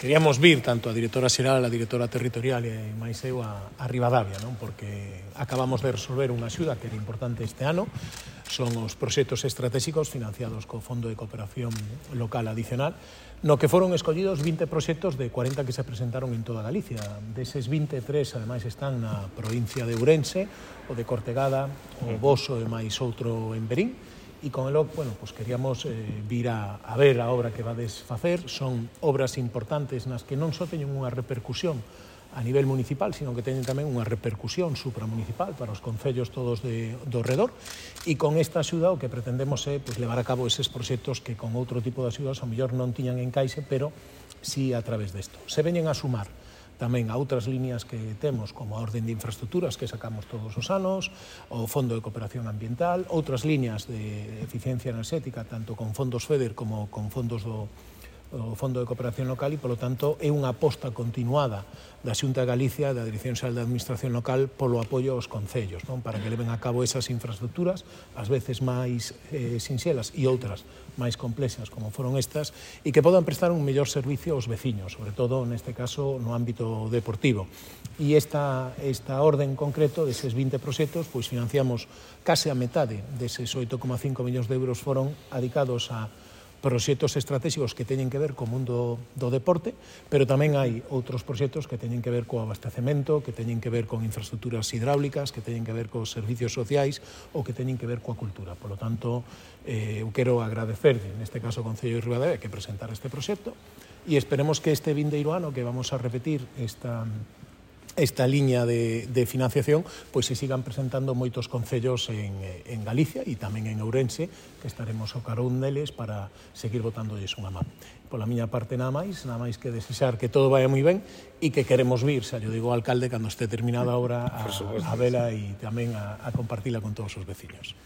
queríamos vir tanto a directora xeral, a directora territorial e máis eu a Ribadavia, non? Porque acabamos de resolver unha axuda que era importante este ano, son os proxectos estratégicos financiados co Fondo de Cooperación Local Adicional, no que foron escollidos 20 proxectos de 40 que se presentaron en toda Galicia. Deses 23, ademais, están na provincia de Ourense, o de Cortegada, o Boso e máis outro en Verín, e con elo, bueno, pues queríamos vir a ver a obra que vades facer. Son obras importantes nas que non só teñen unha repercusión a nivel municipal, sino que teñen tamén unha repercusión supramunicipal para os concellos todos do redor, e con esta axuda o que pretendemos é pues, levar a cabo eses proxectos que con outro tipo de axudas ao mellor non tiñan encaixe, pero sí a través desto. Se veñen a sumar tamén a outras líneas que temos, como a orden de infraestructuras que sacamos todos os anos, o Fondo de Cooperación Ambiental, outras líneas de eficiencia enerxética, tanto con fondos FEDER como con fondos do Fondo de Cooperación Local, e, polo tanto, é unha aposta continuada da Xunta de Galicia, da Dirección Xeral de Administración Local, polo apoio aos concellos, non? Para que leven a cabo esas infraestructuras, ás veces máis sinxelas e outras máis complexas, como foron estas, e que podan prestar un mellor servicio aos veciños, sobre todo, neste caso, no ámbito deportivo. E esta orden en concreto, deses 20 proxectos, pois financiamos case a metade deses 8,5 millóns de euros foron dedicados a proxectos estratégicos que teñen que ver co mundo do deporte, pero tamén hai outros proxectos que teñen que ver co abastecemento, que teñen que ver con infraestructuras hidráulicas, que teñen que ver cos servicios sociais ou que teñen que ver coa cultura. Por lo tanto, eu quero agradecerlle, neste caso, ao Concello de Ribadavia, que presentar este proxecto, e esperemos que este vindeiro ano, que vamos a repetir esta liña de financiación, pois se sigan presentando moitos concellos en Galicia e tamén en Ourense, que estaremos ao carón deles para seguir botándoles unha man. Pola miña parte nada máis que desexar que todo vaya moi ben e que queremos vir, xa yo digo ao alcalde, cando este terminada a obra, a vela e tamén a compartila con todos os veciños.